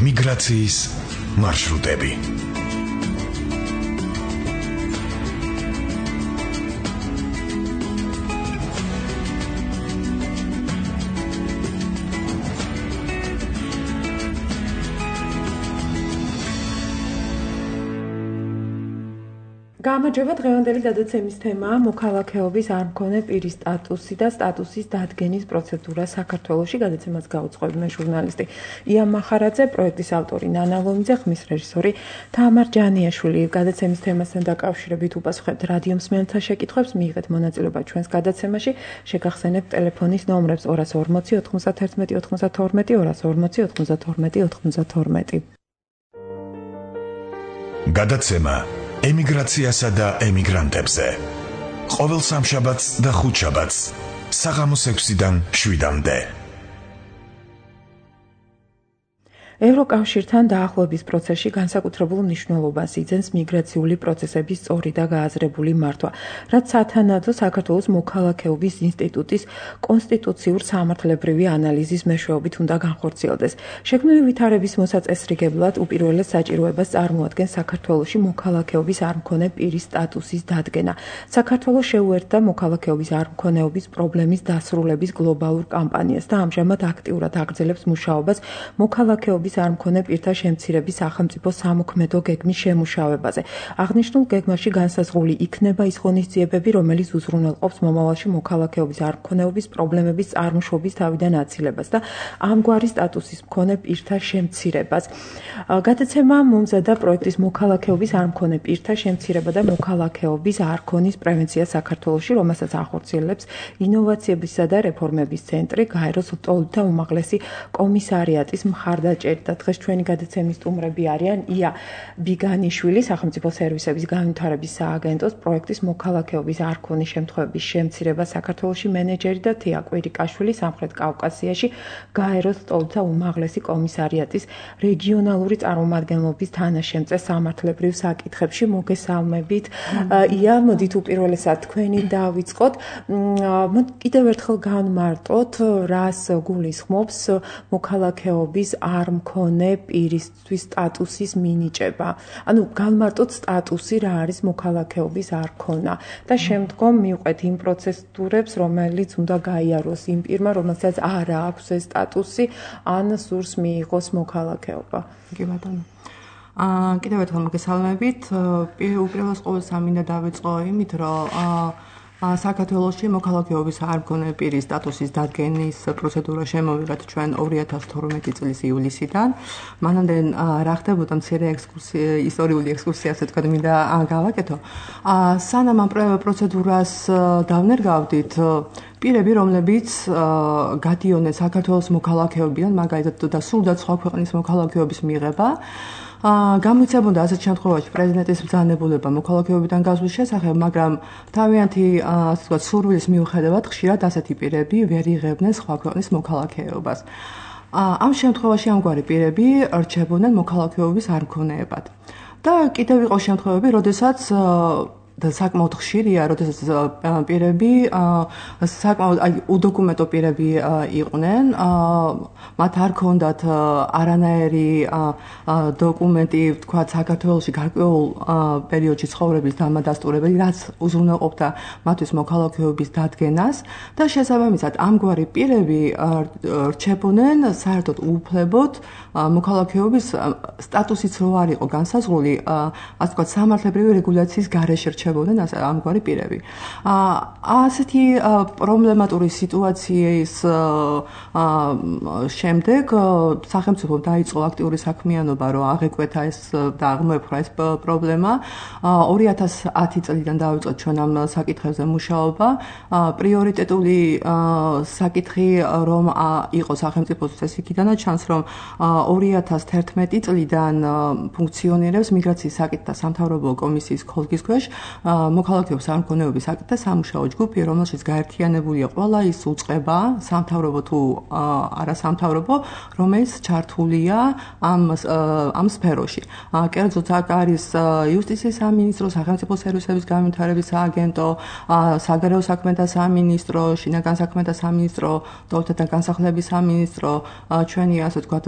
მიგრაციის მარშრუტები. გამარჯობა, დღევანდელი გადაცემის თემაა მოქალაქეობის არ მქონე პირის სტატუსი და სტატუსის დადგენის პროცედურა საქართველოში. გადაცემას გაუძღვები მე ჟურნალისტი ია მახარაძე, პროექტის ავტორი ნანა ლომიძე, ხმის რეჟისორი თამარ ჯანიაშვილი. გადაცემის თემასთან დაკავშირებით უპასუხებთ რადიო მსმენელთა შეკითხვებს, მიიღეთ მონაწილეობა ჩვენს გადაცემაში, შეგახსენებთ ტელეფონის ნომრებს 240 91 92 240 92 92. გადაცემა ემიგრაციასა და ემიგრანტებზე. ყოველ სამშაბათს და ხუთშაბათს საღამოს 6-დან 7-მდე. ევროკავშირთან დაახლოების პროცესში განსაკუთრებულ მნიშვნელობას იძენს მიგრაციული პროცესების სწორი და გააზრებული მართვა, რაც სათანადო საქართველოს მოქალაქეობის ინსტიტუტის კონსტიტუციურ სამართლებრივი ანალიზის მეშვეობით უნდა განხორციელდეს. შექმნილი ვითარების მოსაწესრიგებლად უპირველეს საჭიროებას წარმოადგენს საქართველოში მოქალაქეობის არ მქონე პირის სტატუსის დადგენა. საქართველოს შეუერთდა მოქალაქეობის არ მქონეობის პრობლემის დასრულების გლობალურ კამპანიას და ამჟამად აქტიურად აგრძელებს მუშაობას მოქალაქეობის არ მქონე პირთა შემცირების სახელმწიფო სამოქმედო გეგმის შემუშავებაზე. აღნიშნულ გეგმაში განსაზღვრული იქნება ის ღონისძიებები, რომელიც უზრუნველყოფს მომავალში მოქალაქეობის არ მქონეობის პრობლემების წარმოშობის თავიდან აცილებას და ამგვარი სტატუსის მქონე პირთა შემცირებას. გადაცემა მომზადა პროექტის მოქალაქეობის არ მქონე პირთა შემცირება და მოქალაქეობის არ ქონის პრევენცია საქართველოში, რომელსაც ახორციელებს ინოვაციებისა და რეფორმების ცენტრი, გაეროს ლტოლვილთა უმაღლესი კომისარიატის მხარდაჭერით. დღეს ჩვენი გადაცემის სტუმრები არიან ია ბიგანიშვილი, სახელმწიფო სერვისების განვითარების სააგენტოს პროექტის მოქალაქეობის არ ქონის შემთხვევების შემცირება საქართველოში მენეჯერი და თია კვირიკაშვილი, სამხრეთ კავკასიაში გაეროს ლტოლვილთა უმაღლესი კომისარიატის რეგიონალური წარმომადგენლობის თანაშემწე სამართლებრივ საკითხებში. მოგესალმებით. ია, მოდით უპირველესად თქვენი დავიწყოთ. კიდევ ერთხელ განმარტოთ, რას გულისხმობს მოქალაქეობის არ მქონე პირისთვის სტატუსის მინიჭება. ანუ განმარტოთ სტატუსი რა არის მოქალაქეობის არ ქონა და შემდგომ მივყვეთ იმ პროცედურებს, რომელიც უნდა გაიაროს იმ პირმა, რომელსაც არ აქვს ეს სტატუსი, ან სურს მიიღოს მოქალაქეობა. კი ბატონო. კიდევ ერთხელ მოგესალმებით. უპირველეს ყოვლისა მინდა დავიწყო იმით, რომ საქართველოში მოქალაქეობის არ მქონე პირის სტატუსის დადგენის პროცედურა შემოვიღეთ ჩვენ 2012 წლის ივლისიდან. მანამდე რა ხდებოდა მცირე ისტორიული ექსკურსია, ასე თქვა, მინდა გავაკეთო. სანამ ამ პროცედურას დავნერგავდით, პირები, რომლებიც გადიოდნენ საქართველოს მოქალაქეობიდან, მაგალითად და სურდათ სხვა ქვეყნის მოქალაქეობის მიღება, გამოიცემოდა ასეთ შემთხვევაში პრეზიდენტის ბრძანებულება მოქალაქეობიდან გასვლის შესახებ, მაგრამ თავიანთი ასე ვთქვათ სურვილის მიუხედავად ხშირად ასეთი პირები ვერ იღებდნენ სხვა ქვეყნის მოქალაქეობას. ამ შემთხვევაში ამგვარი პირები რჩებოდნენ მოქალაქეობის არ მქონეებად. და კიდევ იყო შემთხვევები, როდესაც და საკმაოდ ხშირია, როდესაც პირები საკმაოდ უდოკუმენტო პირები იყვნენ, მათ არ ქონდათ არანაირი დოკუმენტი, თქვა საქართველოში გარკვეულ პერიოდში ცხოვრების დამადასტურებელი, რაც უზრუნველყოფდა მათთვის მოქალაქეობის დადგენას და შესაბამისად ამგვარი პირები რჩებოდნენ საერთოდ უუფლებოდ მოქალაქეობის სტატუსიც რო არ იყო განსაზღვრული, ასე ვთქვათ, სამართლებრივი რეგულაციის გარეშე რჩებოდნენ ამგვარი პირები. ასეთი პრობლემატური სიტუაციის შემდეგ სახელმწიფომ დაიწყო აქტიური საქმიანობა, რომ აღეკვეთა ეს და აღმოეფხვრა ეს პრობლემა. 2010 წლიდან დავიწყეთ ჩვენ ამ საკითხებზე მუშაობა. პრიორიტეტული საკითხი რომ იყო სახელმწიფოსთვის ეს იქიდანაც ჩანს, რომ 2011 წლიდან ფუნქციონირებს მიგრაციის საკითხთა სამთავრობო კომისიის ხოლგის ქვეშ მოქალაქეობის არ მქონეობის საკითხთა სამუშაო ჯგუფი, რომელშიც გაერთიანებულია ყველა ის უწყება, სამთავრობო თუ არასამთავრობო, რომელიც ჩართულია ამ სფეროში. კერძოდ აქ არის იუსტიციის სამინისტრო, სახელმწიფო სერვისების განვითარების სააგენტო, საგარეო საქმეთა სამინისტრო, შინაგან საქმეთა სამინისტრო, ლტოლვილთა განსახლების სამინისტრო, ჩვენი ასე ვთქვათ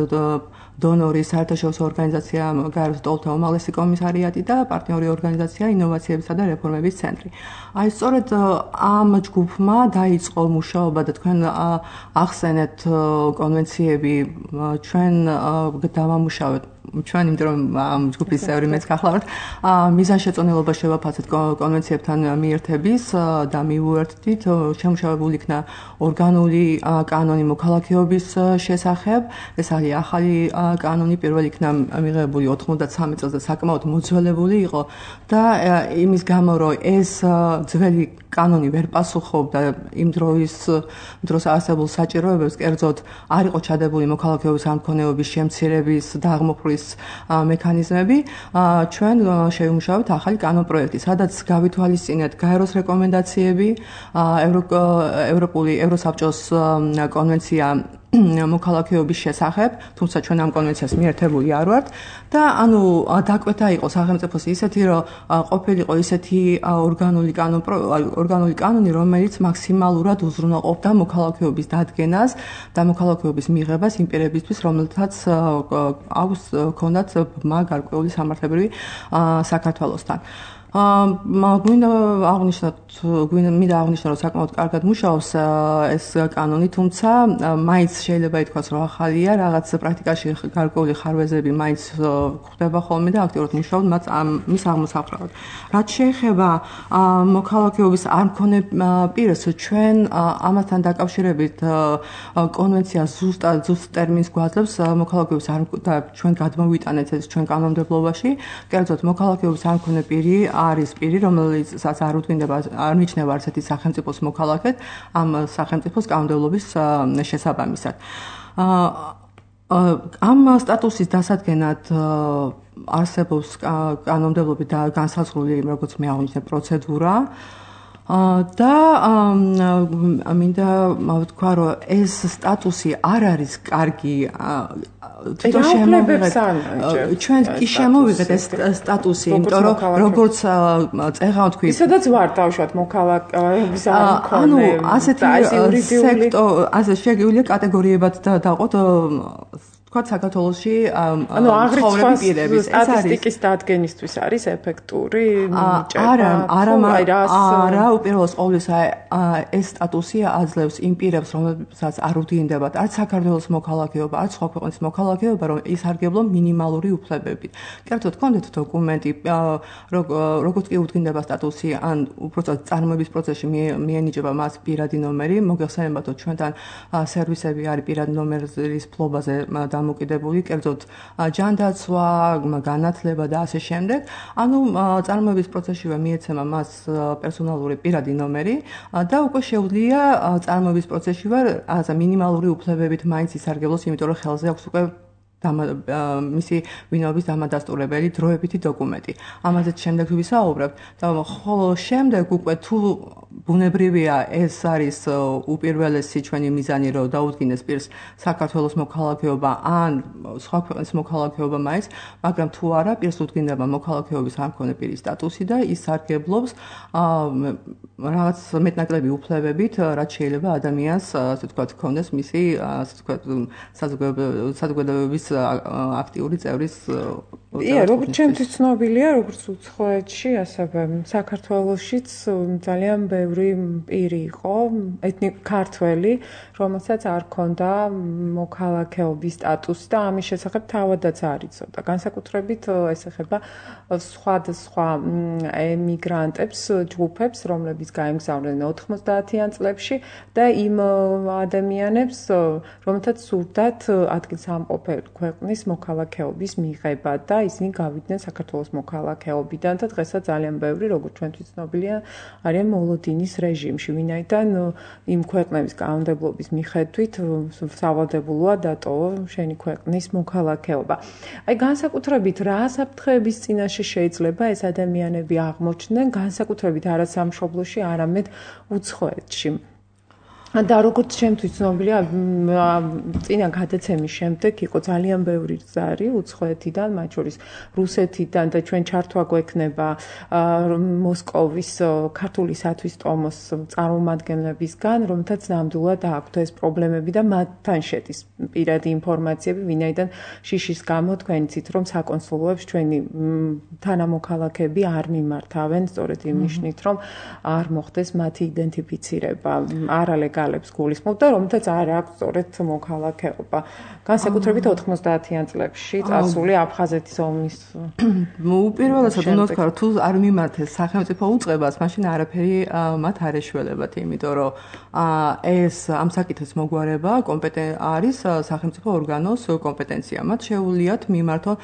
დონორი საერთაშორისო ორგანიზაცია გაეროს ტოლთა უმაღლესი კომისარიატი და პარტნიორი ორგანიზაცია ინოვაციებისა და რეფორმების ცენტრი. აი სწორედ ამ ჯგუფმა დაიწყო მუშაობა და თქვენ ახსენეთ კონვენციები ჩვენ დავამუშავეთ ჩვენ იმიტომ რომ ამ ჯგუფის წევრი მეც გახლავართ მიზანშეწონილობა შევაფასეთ კონვენციებთან მიერთების და მივუერთდით შემუშავებული იქნა ორგანული კანონი მოქალაქეობის შესახებ ეს არის ახალი კანონი პირველი იქნა მიღებული 93 წელს და საკმაოდ მოძველებული იყო და იმის გამო რომ ეს ძველი კანონი ვერ პასუხობდა იმ დროს არსებულ საჭიროებებს კერძოდ არ იყო ჩადებული მოქალაქეობის ამქონეობის შემცირების და აღმოფხვრის მექანიზმები ჩვენ შევიმუშავეთ ახალი კანონპროექტი სადაც გავითვალისწინეთ გაეროს რეკომენდაციები ევროსაბჭოს კონვენცია მოქალაქეობის შესახებ, თუმცა ჩვენ ამ კონვენციას მიერთებული არ ვართ და ანუ დაკვეთა იყო სახელმწიფოს ისეთი რომ ყოფილიყო ისეთი ორგანული კანონი რომელიც მაქსიმალურად უზრუნველყოფდა მოქალაქეობის დადგენას და მოქალაქეობის მიღებას იმ პირებისთვის რომელთაც ჰქონდათ გარკვეული სამართლებრივი საქართველოსთან მინდა აღნიშნოთ რომ საკმაოდ კარგად მუშაობს ეს კანონი, თუმცა მაინც შეიძლება ითქვას რომ ახალია, რაღაც პრაქტიკაში გარკვეული ხარვეზები მაინც ხდება ხოლმე და აქტიურად მუშაობთ მის აღმოსაყრად. რაც შეეხება მოქალაქეობის არ მქონე პირს, ჩვენ ამასთან დაკავშირებით კონვენცია ზუსტ ტერმინს გვაძლევს მოქალაქეობის და ჩვენ გადმოვიტანეთ ეს ჩვენ კანონმდებლობაში, კერძოდ მოქალაქეობის არ მქონე პირი არის პირი, რომელსაც არ უთმინდება, არ მიჩნევა არცეთი სახელმწიფოს მოქალაქედ ამ სახელმწიფოს კანონმდებლობის შესაბამისად. ამ სტატუსის დასადგენად არსებობს კანონმდებლობით და განსაზღვრული, როგორც მე აღნიშნე, პროცედურა. და მინდა ვთქვა რომ ეს სტატუსი არ არის კარგი თვითონ შემოვიღეთ ჩვენ კი შემოვიღეთ ეს სტატუსი იმიტომ რომ როგორც წეღავ თქვი ისედაც ვარ დავშვათ მოქალაქეობის არ მქონე ასე შეგვიძლია კატეგორიებად დავყოთ თქვათ საქართველოში ცხოვრები პირების ეს არის სტატისტიკის დადგენისთვის არის ეფექტური არა უპირველეს ყოვლისა ეს სტატუსი აძლევს იმ პირებს რომელსაც არ უდინდებათ არც საქართველოს მოქალაქეობა არც სხვა ქვეყნის მოქალაქეობა რომ ისარგებლო მინიმალური უფლებებით კერძოდ კონდეთ დოკუმენტი როგორც კი უდგინდება სტატუსი ან უბრალოდ წარმოების პროცესში მიენიჭება მას პირადი ნომერი მოგეხსენებათ რომ ჩვენთან სერვისები არის პირადი ნომერის ფლობაზე მოკიდებული, კერძოდ ჯანდაცვა, განათლება და ასე შემდეგ. ანუ წარმოების პროცესშივე მიეცემა მას პერსონალური პირადი ნომერი და უკვე შეუძლია წარმოების პროცესშივე მინიმალური უფლებებით მაინც ისარგებლოს, იმიტომ რომ ხელზე აქვს უკვე მისი ვინაობის დამადასტურებელი დროებითი დოკუმენტი. ამაზეც შემდეგ ვისაუბრებთ და ხოლო შემდეგ უკვე თუ ბუნებრივია ეს არის უპირველესი ჩვენი მიზანი რომ დაუდგინეს პირს საქართველოს მოქალაქეობა ან სხვა ქვეყნის მოქალაქეობა მაინც, მაგრამ თუ არა პირს უდგინდება მოქალაქეობის არ მქონე პირის სტატუსი და ის სარგებლობს რაღაც მეტნაკლები უფლებებით, რაც შეიძლება ადამიანს ასე ვთქვათ ჰქონდეს მისი ასე ვთქვათ საზოგადოების აქტიური წევრის როგორც ჩემთვის ცნობილია, როგორც უცხოეთში, ასევე საქართველოშიც ძალიან ბევრი პირი იყო, ქართველი, რომელსაც არ ჰქონდა მოქალაქეობის სტატუსი და ამის შესახებ თავადაც არ იცოდა. განსაკუთრებით ეს ეხება სხვადასხვა ემიგრანტებს, ჯგუფებს, რომლებიც გაემგზავრნენ 90-იან წლებში და იმ ადამიანებს, რომელთაც სურდათ ადგილსამყოფელი ქვეყნის მოქალაქეობის მიღება და ისინი გავიდნენ საქართველოს მოქალაქეობიდან და დღესაც ძალიან ბევრი, როგორც ჩვენთვის ცნობილია, არიან მოლოდინის რეჟიმში, ვინაიდან იმ ქვეყნების კანონმდებლობის მიხედვით სავალდებულოა დატოვა შენი ქვეყნის მოქალაქეობა. აი განსაკუთრებით რა საფრთხეების წინაშე შეიძლება ეს ადამიანები აღმოჩნდნენ, განსაკუთრებით არა სამშობლოში, არამედ უცხოეთში. და როგორც შემთხვევით ცნობილია, წინა გადაცემის შემდეგ იყო ძალიან ბევრი ზარი უცხოეთიდან, მათ შორის რუსეთიდან და ჩვენ ჩართვა გვექნება მოსკოვის ქართული სათვის ტომოს წარმომადგენლებისგან, რომელთაც ნამდვილად აქვთ ეს პრობლემები და მათთან შედის პირადი ინფორმაციები, ვინაიდან შიშის გამო თქვენ იცით, რომ საკონსულოებს ჩვენი თანამოქალაქეები არ მიმართავენ, სწორედ იმ ნიშნით, რომ არ მოხდეს მათი იდენტიფიცირება, არალეგალებს გულისხმობ და რომელთაც არ აქვს სწორედ მოქალაქეობა. განსაკუთრებით 90-იან წლებში წასული აფხაზეთის ომის. უპირველესად უნდა ვთქვა, თუ არ მიმართეს სახელმწიფო უწყებას, მაშინ არაფერი მათ არ ეშველებათ, იმიტომ რომ ეს ამ საკითხის მოგვარება არის სახელმწიფო ორგანოს კომპეტენცია. მათ შეუძლიათ მიმართონ,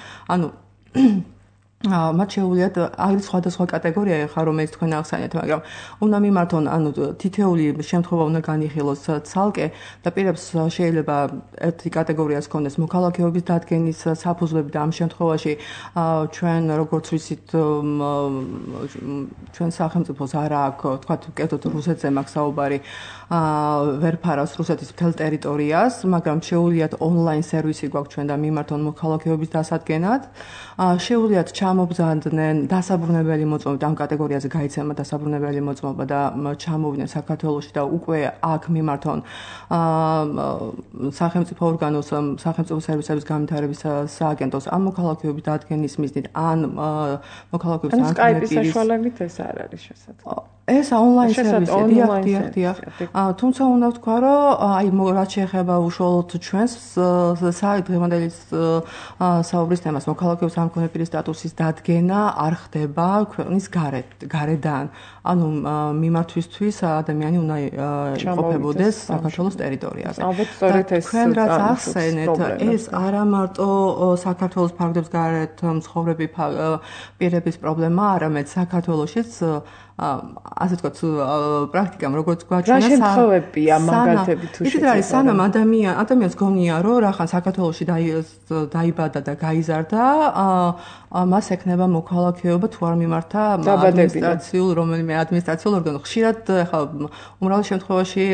მათ შეუძლიათ არის სხვადასხვა კატეგორია ხარ რომელიც თქვენ ახსენეთ, მაგრამ უნდა მიმართონ, თითეული შემთხვევა უნდა განიხილოს ცალკე და პირებს შეიძლება ერთი კატეგორიას ჰქონდეს მოქალაქეობის დადგენის საფუძვლები და ამ შემთხვევაში ჩვენ როგორც ვიცით ჩვენ სახელმწიფოს არ აქვს, თქვათ, კეთოთ რუსეთზე მაქვს საუბარი, ვერ ფარავს რუსეთის მთელ ტერიტორიას, მაგრამ შეუძლიათ ონლაინ სერვისი გვაქვს ჩვენ და მიმართონ მოქალაქეობის დასადგენად. შეუძლიათ ჩამობზანდნენ დასაბრუნებელი მოწმობა, ამ კატეგორიაზე გაიცემა დასაბრუნებელი მოწმობა და ჩამოვიდნენ საქართველოში და უკვე აქ მიმართონ სახელმწიფო ორგანოს, სახელმწიფო სერვისების განვითარების სააგენტოს ამ მოქალაქეობის დადგენის მიზნით ან მოქალაქეობის ან სკაიპის საშუალებით ეს არ არის შესაძლებელი. ეს ონლაინ სერვისია, დიახ. თუმცა უნდა ვთქვა, რომ რაც შეეხება უშუალოდ ჩვენს დღევანდელი საუბრის თემას, მოქალაქეობის არ მქონე პირის სტატუსის დადგენა არ ხდება ქვეყნის გარედან. ანუ მიმართვისთვის ადამიანი უნდა იყოფებოდეს საქართველოს ტერიტორიაზე. თქვენ რაც ახსენეთ, ეს არა მარტო საქართველოს ფარგლებს გარეთ მცხოვრები პირების პრობლემა, არამედ საქართველოშიც ასე ვთქვათ, პრაქტიკამ როგორც გვაჩვენა შემთხვევებია მაგალითები თუ შეიძლება. სანამ ადამიანს გონია, რომ რახან საქართველოში დაიბადა და გაიზარდა, მას ექნება მოქალაქეობა თუ არ მიმართა რომელიმე ადმინისტრაციულ ორგანოს. ხშირად ახლა უმრავლეს შემთხვევაში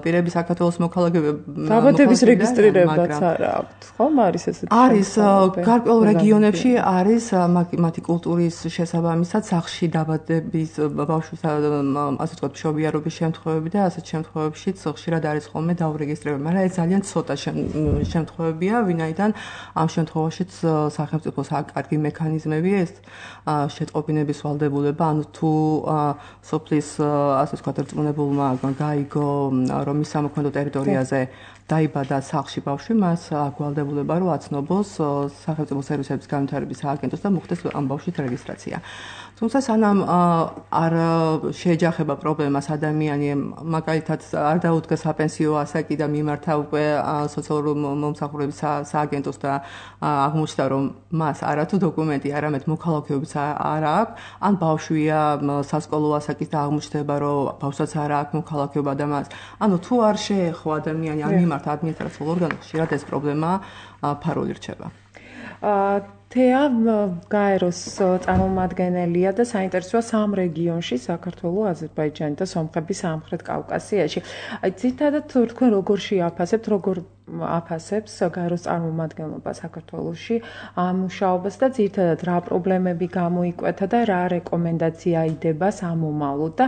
პირები საქართველოს მოქალაქეები დაბადების რეგისტრირებაც არ აქვთ, ხომ არის ესეთი? არის გარკვეულ რეგიონებში არის მათი კულტურის შესაბამისად სახლში დაბადების ბავშვის ასე ვთქვათ მშობიარობის შემთხვევები და ასეთ შემთხვევებშიც ხშირად არის ხოლმე დაურეგისტრირება, მაგრამ ეს ძალიან ცოტა შემთხვევებია, ვინაიდან ამ შემთხვევაშიც სახელმწიფოს აქვს კარგი მექანიზმები ეს შეტყობინების ვალდებულება, ანუ თუ სოფლის ასე ვთქვათ რწმუნებულმა გაიგო რომ ის სამოქმედო ტერიტორიაზე დაიბადა სახლში ბავშვი, მას აქვს ვალდებულება რომ აცნობოს სახელმწიფო სერვისების განვითარების სააგენტოს და მოხდეს ამ ბავშვის რეგისტრაცია. თუმცა სანამ არ შეეჯახება პრობლემას ადამიანი მაგალითად არ დაუდგა საპენსიო ასაკი და მიმართა უკვე სოციალური მომსახურების სააგენტოს და აღმოჩნდა რომ მას არათუ დოკუმენტი, არამედ მოქალაქეობაც არ აქვს, ან ბავშვია სასკოლო ასაკის და აღმოჩნდება რომ ბავშვსაც არ აქვს მოქალაქეობა და მას, ანუ თუ არ შეეხო ადამიანი არ მიმართა ადმინისტრაციულ ორგანოს, ხშირად ეს პრობლემა ფარული რჩება. თეა გაეროს წარმომადგენელია და საინტერესოა სამ რეგიონში, საქართველო, აზერბაიჯანი და სომხეთის სამხრეთ კავკასიაში. ძირითადად თქვენ როგორ შეაფასებთ, როგორ აფასებს გაეროს წარმომადგენლობა საქართველოში ამ მუშაობას და ძირითადად რა პრობლემები გამოიკვეთა და რა რეკომენდაცია იდება სამომავლოდ და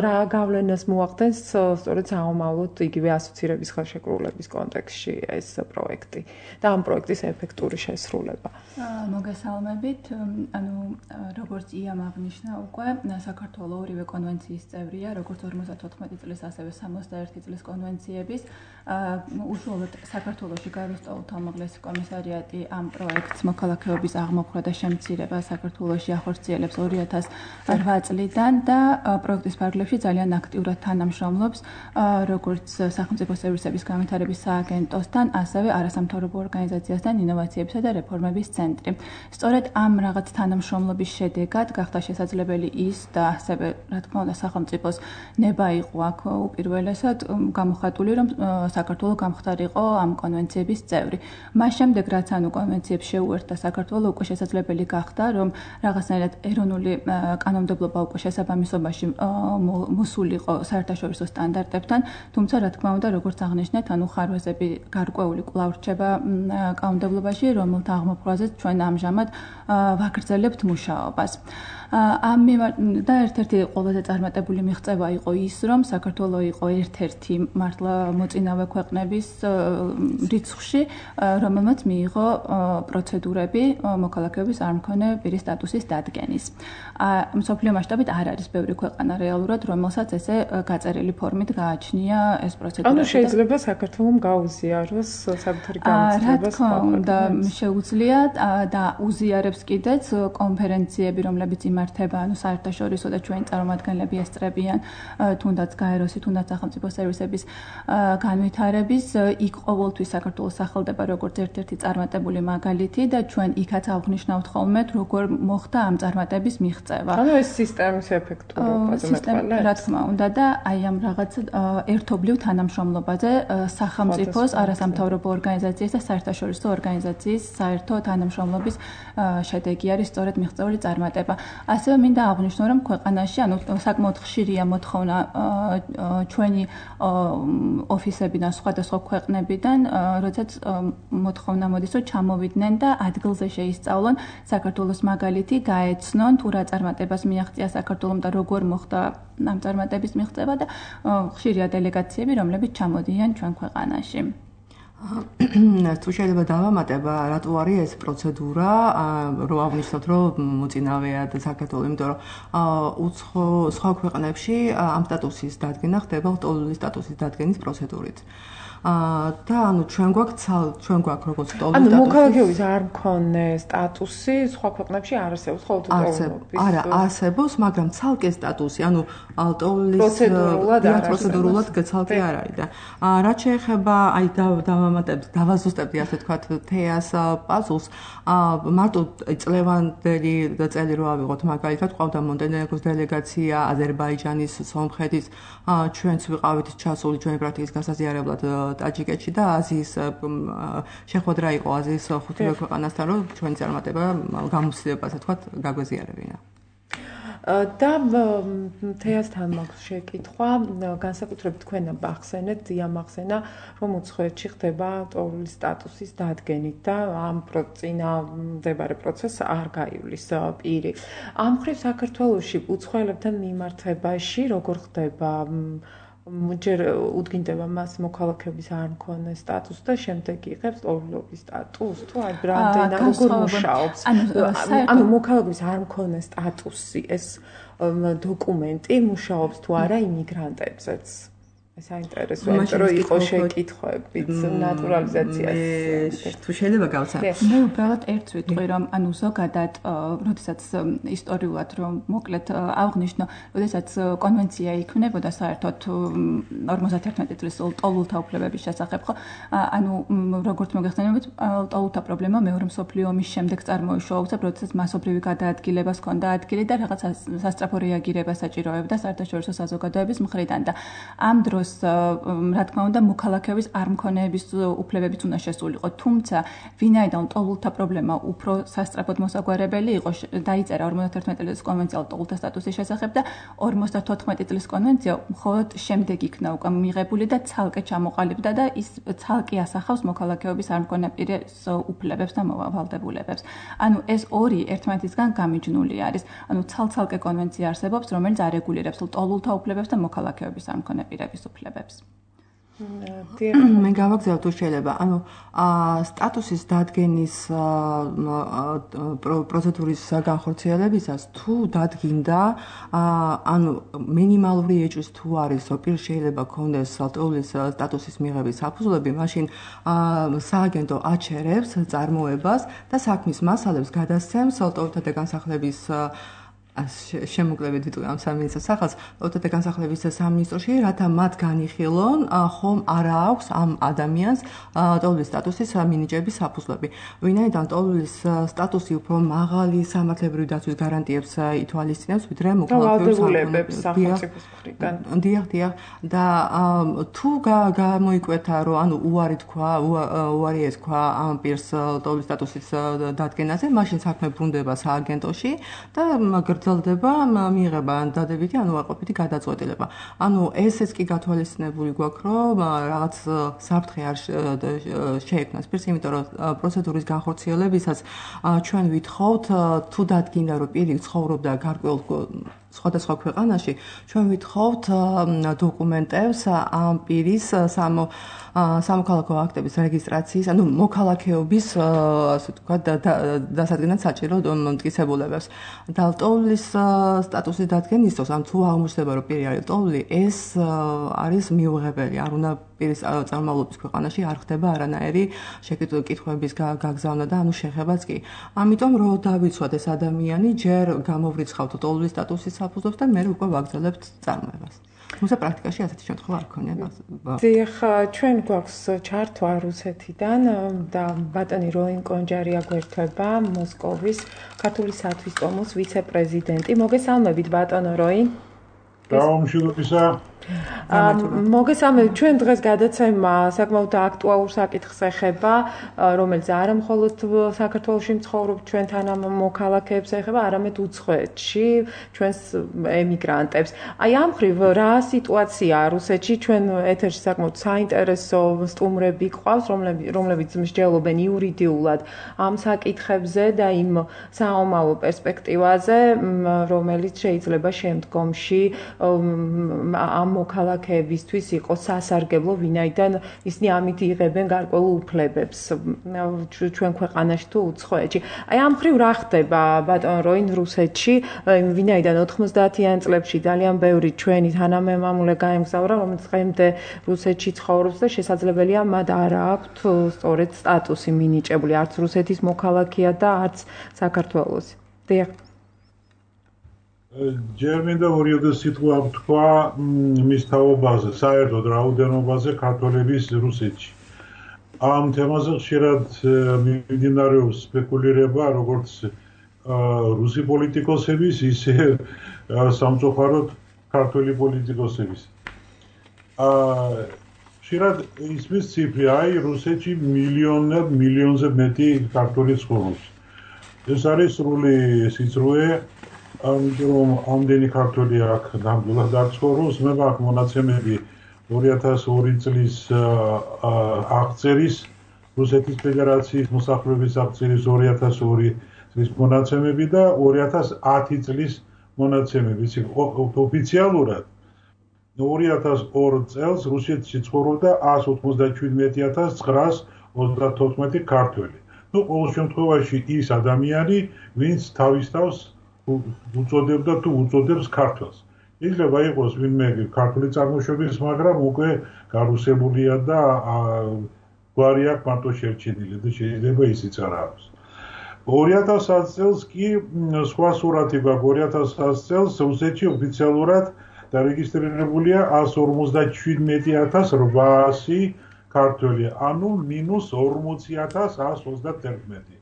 რა გავლენას მოახდენს სწორედ სამომავლოდ იგივე ასოცირების ხელშეკრულების კონტექსტში ეს პროექტი და ამ პროექტის ეფექტური შესრულება. მოგესალმებით. ანუ როგორც იამ აღნიშნა უკვე საქართველო ორივე კონვენციის წევრია, როგორც 54 წლის, ასევე 61 წლის კონვენციების. უშუალოდ საქართველოში გაეროს წევრთა უმაღლესი კომისარიატი ამ პროექტს მოქალაქეობის აღმოფხვრა და შემცირება საქართველოში ახორციელებს 2008 წლიდან და პროექტის ფარგლებში ძალიან აქტიურად თანამშრომლობს როგორც სახელმწიფო სერვისების განვითარების სააგენტოსთან, ასევე არასამთავრობო ორგანიზაციასთან ინოვაციებისა და რეფორმების რეფორმების ცენტრი. სწორედ ამ რაღაც თანამშრომლობის შედეგად გახდა შესაძლებელი ის და ასევე რა თქმა უნდა სახელმწიფოს ნება იყო აქ უპირველესად გამოხატული, რომ საქართველო გამხდარიყო ამ კონვენციების წევრი. მას შემდეგ რაც ანუ კონვენციებს შეუერთდა საქართველო უკვე შესაძლებელი გახდა, რომ რაღაცნაირად ეროვნული კანონმდებლობა უკვე შესაბამისობაში მოსულიყო საერთაშორისო სტანდარტებთან, თუმცა რა თქმა უნდა, როგორც აღნიშნეთ, ანუ ხარვეზები გარკვეული კვლავ რჩება კანონმდებლობაში, რომელთა აღმოფხვრაზე ჩვენ ამჟამად ვაგრძელებთ მუშაობას. და ერთ-ერთი ყველაზე წარმატებული მიღწევა იყო ის, რომ საქართველო იყო ერთ-ერთი მართლა მოწინავე ქვეყნების რიცხვში, რომელმაც მიიღო პროცედურები მოქალაქეობის არ მქონე პირის სტატუსის დადგენის. მსოფლიო მასშტაბით არ არის ბევრი ქვეყანა რეალურად, რომელსაც ესე გაწერილი ფორმით გააჩნია ეს პროცედურა. ანუ შეიძლება საქართველოს გაუზიაროს საკუთარი განცხადება. რა თქმა უნდა, შეუძლია და უზიარებს კიდეც კონფერენციები, რომლებიც იმართება, ანუ საერთაშორისო და ჩვენი წარმომადგენლები ესწრებიან, თუნდაც გაეროსი, თუნდაც სახელმწიფო სერვისების განვითარების, იქ ყოველთვის საქართველოს სახელდება როგორც ერთ-ერთი წარმატებული მაგალითი და ჩვენ იქაც აღნიშნავთ ხოლმე, როგორ მოხდა ამ წარმატების მიღწევა. ანუ ეს სისტემის ეფექტურობაზე მეტყველებს. რა თქმა უნდა და აი ამ რაღაც ერთობლივ თანამშრომლობაზე სახელმწიფოს, არასამთავრობო ორგანიზაციის და საერთაშორისო ორგანიზაციის საერთო თანამშრომლობის შედეგი არის სწორედ მიღწეული წარმატება. ასევე მინდა აღვნიშნო, რომ ქვეყანაში, ანუ საკმაოდ ხშირია მოთხოვნა ჩვენი ოფისებიდან, სხვადასხვა ქვეყნებიდან, როდესაც მოთხოვნა მოდის, რომ ჩამოვიდნენ და ადგილზე შეისწავლონ საქართველოს მაგალითი, გაეცნონ თუ რა წარმატებას მიაღწია საქართველომ და როგორ მოხდა ამ წარმატების მიღწევა და ხშირია დელეგაციები, რომლებიც ჩამოდიან ჩვენ ქვეყანაში. თუ შეიძლება დავამატებ, რატო არის ეს პროცედურა, რომ აღნიშნოთ, რომ მოწინავეა და საქართველო, იმიტომ რომ სხვა ქვეყნებში ამ სტატუსის დადგენა ხდება ლტოლვილის სტატუსის დადგენის პროცედურით. და ანუ ჩვენ გვაქვს როგორც ლტოლვილის სტატუსი. ანუ მოქალაქეობის არ მქონე სტატუსი სხვა ქვეყნებში არ არსებობს, ხოლო ლტოლვილობის. არა, არსებობს, მაგრამ ცალკე სტატუსი, ანუ ლტოლვილის პროცედურულად ცალკე არ არის და რაც შეეხება აი დავაზუსტებდი ასე თქვათ თეას პაზლს, მარტო წლევანდელი წელი რო ავიღოთ მაგალითად, ყავდა მონტენეგროს დელეგაცია, აზერბაიჯანის, სომხეთის, ჩვენც ვიყავით ჩასული ჩვენი პრაქტიკის გასაზიარებლად ტაჯიკეთში და აზიის შეხვედრა იყო აზიის ხუთივე ქვეყანასთან, რომ ჩვენი წარმატება გამოცდილებას ასე თქვათ გაგვეზიარებინა. და თეასთან მაქვს შეკითხვა, განსაკუთრებით თქვენ ახსენეთ, დიამახსენა, რომ უცხოეთში ხდება ლტოლვილის სტატუსის დადგენით და ამ წინამდებარე პროცესს არ გაივლის პირი. ამ მხრივ საქართველოში უცხოელებთან მიმართებაში როგორ ხდება ჯერ უდგინდება მას მოქალაქეობის არ მქონე სტატუსს და შემდეგ იღებს ლტოლვილობის სტატუსს თუ აი ბრანდენა როგორ მუშაობს ანუ მოქალაქეობის არ მქონე სტატუსი ეს დოკუმენტი მუშაობს თუ არა იმიგრანტებზეც ეს საინტერესოა იმიტომ რომ იყო შეკითხვებიც ნატურალიზაციას თუ შეიძლება გავცან მე უბრალოდ ერთს ვიტყვი რომ ანუ ზოგადად როდესაც ისტორიულად რომ მოკლედ აღნიშნო როდესაც კონვენცია იქმნებოდა საერთოდ 51 წლის ლტოლვილთა უფლებების შესახებ ხო ანუ როგორც მოგეხსენებათ ლტოლვილთა პრობლემა მეორე მსოფლიო ომის შემდეგ წარმოიშვა უცებ როდესაც მასობრივი გადაადგილებას ჰქონდა ადგილი და რაღაც სასწრაფო რეაგირება საჭიროებდა საერთაშორისო საზოგადოების მხრიდან და ამ დროს რა თქმა უნდა მოქალაქეობის არ მქონეების უფლებებიც უნდა შესულიყო თუმცა ვინაიდან ლტოლვილთა პრობლემა უფრო სასწრაფოდ მოსაგვარებელი იყო დაიწერა 51 წლის კონვენცია ლტოლვილთა სტატუსის შესახებ და 54 წლის კონვენცია მხოლოდ შემდეგ იქნა უკვე მიღებული და ცალკე ჩამოყალიბდა და ის ცალკე ასახავს მოქალაქეობის არ მქონე პირის უფლებებს და მოვალდებულებებს ანუ ეს ორი ერთმანეთისგან გამიჯნული არის ანუ ცალკე კონვენცია არსებობს რომელიც არეგულირებს ლტოლვილთა უფლებებს და მოქალაქეობის არ მქონე პირების უფლებებს. მე გავაგზავნე თუ შეიძლება. ანუ სტატუსის დადგენის პროცედურის განხორციელებისას თუ დადგინდა ანუ მინიმალური ეჭვის თუ არის პირ შეიძლება ქონდეს ლტოლვილის სტატუსის მიღების საფუძვლები, მაშინ სააგენტო აჩერებს წარმოებას და საქმის მასალებს გადასცემს ლტოლვილთა და განსახლების შემოკლებით ვიტყვი ამ სამინისტროს სახელს, ოდეთა განსახლების სამინისტროში, რათა მათ განიხილონ, ხომ არა აქვს ამ ადამიანს ტოლობის სტატუსის მინიჭების საფუძვლები. ვინაიდან ტოლობის სტატუსი უფრო მაღალი სამართლებრივი დაცვის გარანტიებს ითვალისწინებს, ვიდრე მოქალაქეებს სახელმწიფოს მხრიდან. დიახ. და თუ გამოიკვეთა, რომ ანუ უარი ეთქვა ამ პირს ტოლობის სტატუსის დადგენაზე, მაშინ საქმე ბრუნდება სააგენტოში და გრძელდება მიიღება დადებითი ანუ უარყოფითი გადაწყვეტილება. ანუ ესეც კი გათვალისწინებული გვაქვს, რომ რაღაც საფრთხე არ შეექმნას პირს, იმიტომ რომ პროცედურის განხორციელებისას ჩვენ ვითხოვთ თუ დადგინდა რომ პირი ცხოვრობდა გარკვეულ სხვადასხვა ქვეყანაში, ჩვენ ვითხოვთ დოკუმენტებს ამ პირის სამოქალაქო აქტების რეგისტრაციის, ანუ მოქალაქეობის, ასე ვთქვათ, დასადგენად საჭირო მტკიცებულებებს. და ტოვლის სტატუსის დადგენის დროს, ან თუ აღმოჩნდება, რომ პირი არის ტოვლი, ეს არის მიუღებელი. არ უნდა პირის წარმომავლობის ქვეყანაში არ ხდება არანაირი კითხვების გაგზავნა და ანუ შეხებაც კი. ამიტომ რომ დავიცვათ ეს ადამიანი, ჯერ გამოვრიცხავთ ტოვლის სტატუსის საფუძვლებს და მე უკვე ვაგრძელებთ წარმოებას. თუმცა პრაქტიკაში ასეთი შემთხვევა არ ქონია. დიახ, ჩვენ გვაქვს ჩართვა რუსეთიდან და ბატონი როინ კონჯარი აგვერთვება, მოსკოვის ქართული სათვის ტომოს ვიცე-პრეზიდენტი. მოგესალმებით ბატონო როინ. გამშვიდობისა. მოგესალმებით, ჩვენ დღეს გადაცემა საკმაოდ აქტუალურ საკითხს ეხება, რომელიც არა მხოლოდ საქართველოში მცხოვრებ ჩვენთან ამ მოქალაქეებს ეხება, არამედ უცხოეთში ჩვენს ემიგრანტებს. აი ამ ხრივ რა სიტუაციაა რუსეთში? ჩვენ ეთერში საკმაოდ საინტერესო სტუმრები გვყავს, რომლებიც მსჯელობენ იურიდიულად ამ საკითხებზე და იმ საომავლო პერსპექტივაზე, რომელიც შეიძლება შემდგომში ამ მოქალაქეებისთვის იყოს სასარგებლო, ვინაიდან ისინი ამით იღებენ გარკვეულ უფლებებს ჩვენ ქვეყანაში თუ უცხოეთში. აი ამ ხრივ რა ხდება ბატონ როინ რუსეთში, ვინაიდან 90-იან წლებში ძალიან ბევრი ჩვენი თანამემამულე გაემგზავრა, რომელიც დღემდე რუსეთში ცხოვრობს და შესაძლებელია მათ არ აქვთ სწორედ სტატუსი მინიჭებული, არც რუსეთის მოქალაქეა და არც საქართველოს. დიახ. ჯერ მინდა ორიოდე სიტყვა ვთქვა მის თაობაზე, საერთოდ რაოდენობაზე ქართველების რუსეთში. ამ თემაზე ხშირად მიმდინარეობს სპეკულირება, როგორც რუსი პოლიტიკოსების, ისე სამწუხაროდ ქართველი პოლიტიკოსების. ხშირად ისმის ციფრი, აი რუსეთში მილიონზე მეტი ქართველი ცხოვრობს. ეს არის სრული სიცრუე. რომ ამდენი ქართველი აქ ნამდვილად არ ცხოვრობს, მე მაქვს მონაცემები 2002 წლის აღწერის, რუსეთის ფედერაციის მოსახლეობის აღწერის 2002 წლის მონაცემები და 2010 წლის მონაცემები. ოფიციალურად 2002 წელს რუსეთში ცხოვრობდა 197,934 ქართველი. ყოველ შემთხვევაში ის ადამიანი, ვინც თავის თავს უწოდებდა თუ უწოდებს ქართველს. შეიძლება იყოს ვინმე ქართული წარმოშობის, მაგრამ უკვე გარუსებულია და გვარი აქვს მარტო შერჩენილი და შეიძლება ისიც არ აქვს. 2010 წელს კი სხვა სურათი გვაქვს. 2010 წელს რუსეთში ოფიციალურად დარეგისტრირებულია 157,800 ქართველი, ანუ -40,131.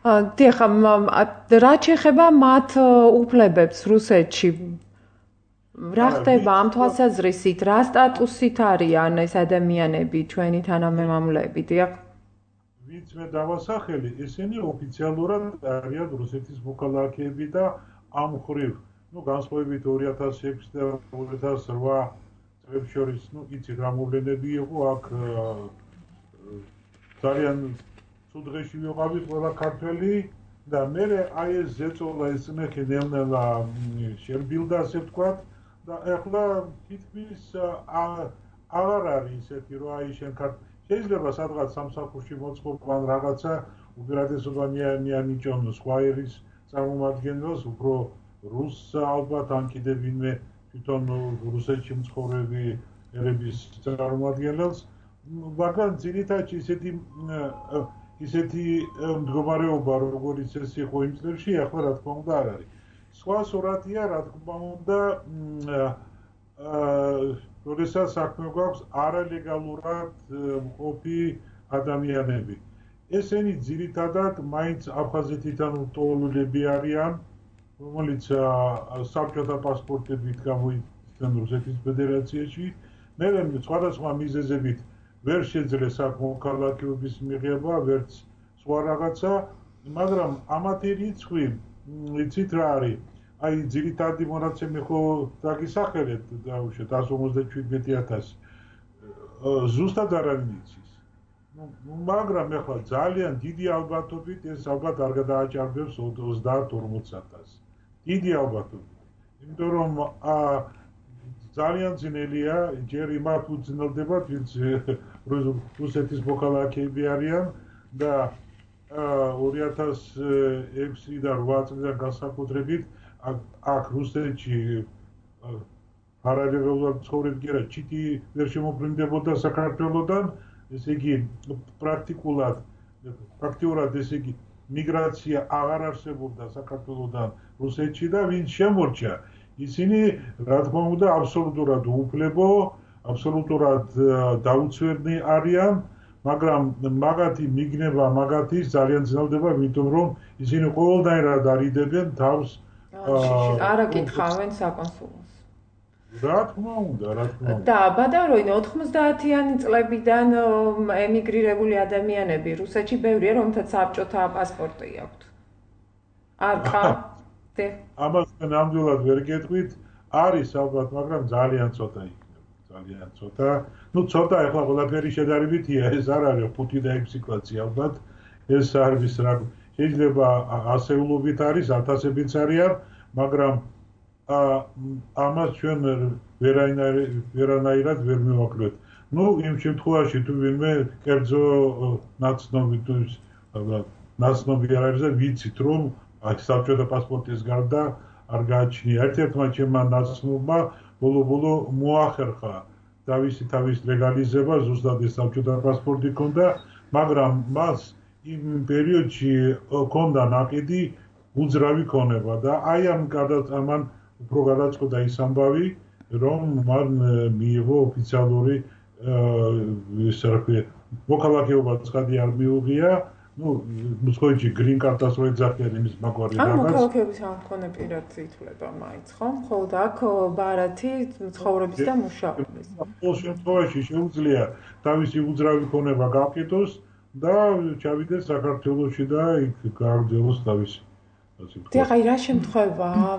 დიახ, რა შეეხება მათ უფლებებს რუსეთში? რა ხდება ამ თვალსაზრისით? რა სტატუსით არიან ეს ადამიანები, ჩვენი თანამემამულეები? დიახ. ვინც მე დავასახელი, ესენი ოფიციალურად არიან რუსეთის მოქალაქეები და ამ ხრივ, განსხვავებით 2006 და 2008 წლებს შორის, იცით რა მოვლენები იყო აქ ძალიან დღეში ვიყავით ყველა ქართველი და მე აი ეს ზეწოლა ეს მეხი ნელ-ნელა შემბილდა ასე ვთქვათ და ეხლა თითქმის აღარ არის ისეთი რომ აი შენ შეიძლება სადღაც სამსახურში მოწყობან რაღაცა უპირატესობა მიანიჭონ სხვა ერის წარმომადგენელს უფრო რუსს ალბათ ან კიდევ ვინმე თვითონ რუსეთში მცხოვრები ერების წარმომადგენელს მაგრამ ძირითადად ისეთი მდგომარეობა როგორც ეს იყო იმ წლებში ახლა რა თქმა უნდა არ არის. სხვა სურათია, რა თქმა უნდა, როდესაც საქმე გვაქვს არალეგალურად მყოფი ადამიანები. ესენი ძირითადად მაინც აფხაზეთიდან უტოლულები არიან, რომელიც საბჭოთა პასპორტებით გამოიჩნდნენ რუსეთის ფედერაციაში. მე სხვადასხვა მიზეზებით ვერ შეძლეს აქ მოქალაქეობის მიღება, ვერც სხვა რაღაცა, მაგრამ ამათი რიცხვი, იცით რა არის? აი ძირითადი მონაცემი ხო დაგისახელეთ, დაუშვათ 157,000. ზუსტად არავინ იცის. მაგრამ ეხლა ძალიან დიდი ალბათობით ეს ალბათ არ გადააჭარბებს 30-40,000. დიდი ალბათობით. იმიტომ რომ ძალიან ძნელია, ჯერ იმათ უძნელდება, ვინც რუსეთის მოქალაქეები არიან და 2006-დან 8 წლიდან განსაკუთრებით აქ რუსეთში არალეგალურად ცხოვრები კი არა, ჩიტი ვერ შემოფრინდებოდა საქართველოდან, ესე იგი პრაქტიკულად ესე იგი მიგრაცია აღარ არსებობდა საქართველოდან რუსეთში და ვინც შემორჩა, ისინი რა თქმა უნდა აბსოლუტურად უუფლებო, აბსოლუტურად დაუცვერნი არიან, მაგრამ მაგათი მიგნება მაგათის ძალიან ძნელდება, იმიტომ რომ ისინი ყოველდღიურად არიდებენ თავს არა კითხავენ საკონსულოს. რა თქმა უნდა. და ბადაროინო 90-იანი წლებიდან ემიგრირებული ადამიანები რუსეთში ბევრია, რომთაც საბჭოთა პასპორტი აქვთ. არ ხარ? ამას ნამდვილად ვერ გეტყვით, არის ალბათ, მაგრამ ძალიან ცოტა იქნება. ძალიან ცოტა. ცოტა ეხლა ყველაფერი შედარებითია, ეს არ არის 5 და 6 კლასი ალბათ. ეს არის რა შეიძლება ასეულობით არის, ათასებიც არიან, მაგრამ ამას ჩვენ ვერანაირად ვერ მივაკლეთ. იმ შემთხვევაში თუ ვინმე კერძო ნაცნობი არ არის და ვიცით რომ საბჭოთა პასპორტის გარდა არ გააჩნია. ერთ-ერთმა ჩემმა ნაცნობმა ბოლო მოახერხა თავის ლეგალიზება, ზუსტად ეს საბჭოთა პასპორტი ჰქონდა, მაგრამ მას იმ პერიოდში ჰქონდა ნაკიდი უძრავი ქონება და აი ამან უფრო გადაწყვეტა ის ამბავი, რომ მან მიიღო ოფიციალური მოქალაქეობა ცხადი არ მიუღია, მოსკოვში green card-ას რო ეძახიან იმის მაგვარი რაღაც. მოქალაქეობის ამქონე პირად ითვლება მაინც, ხო? მხოლოდ აქ ბარათი ცხოვრების და მუშაობის. ყოველ შემთხვევაში შეუძლია თავისი უძრავი ქონება გაყიდოს და ჩავიდეს საქართველოში და იქ გააგრძელოს თავისი. აი რა შემთხვევაა,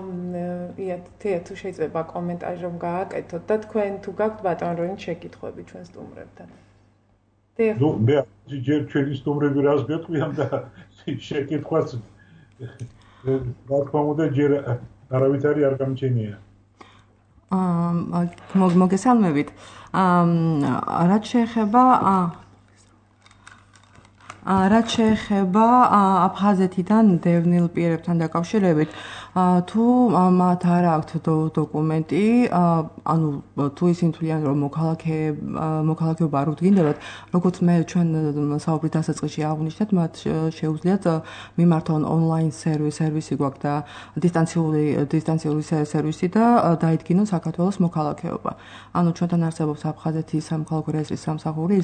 ია თუ შეიძლება კომენტარი რომ გააკეთოთ და თქვენ თუ გაქვთ ბატონ როინ შეკითხვები ჩვენ სტუმრებთან. მე ჯერ ჩვენი სტუმრები რას გეტყვიან და შეკითხვას რა თქმა უნდა ჯერ არავითარი არ გამჩენია. მოგესალმებით. რაც შეეხება აფხაზეთიდან დევნილ პირებთან დაკავშირებით, თუ მათ არ აქვთ დოკუმენტი, ანუ თუ ისინი თვლიან რომ მოქალაქეობა არ უდგინდებათ, როგორც მე ჩვენ საუბრის დასაწყისში აღვნიშნეთ, მათ შეუძლიათ მიმართონ ონლაინ სერვისი გვაქვს და დისტანციური სერვისი და დაიდგინონ საქართველოს მოქალაქეობა. ანუ ჩვენთან არსებობს აფხაზეთის სამოქალაქო რეესტრის სამსახური,